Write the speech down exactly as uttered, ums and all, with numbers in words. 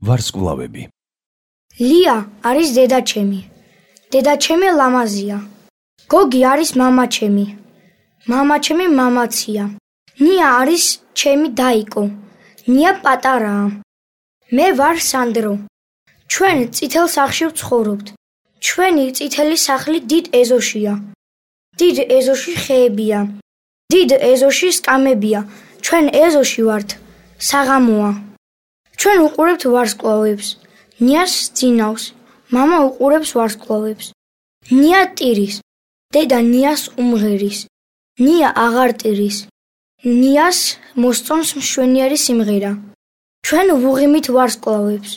ვარსკვლავები. ლია არის დედაჩემი. დედაჩემი ლამაზია. გოგი არის მამაჩემი. მამაჩემი მამაცია. ნია არის ჩემი დაიკო. ნია პატარაა. მე ვარ სანდრო. ჩვენ წითელ სახლში ვცხოვრობთ. ჩვენი წითელი სახლი დიდ ეზოშია. დიდ ეზოში ხეებია. დიდ ეზოში სკამებია. ჩვენ ეზოში ვართ. საღამოა. ჩვენ უყურებთ ვარსკვლავებს. ნიას ძინავს. მამა უყურებს ვარსკვლავებს. ნია ტირის. დედა ნიას უმღერის. ნია აღარ ტირის. ნიას მოსწონს მშვენიერი სიმღერა. ჩვენ ვუღიმით ვარსკვლავებს.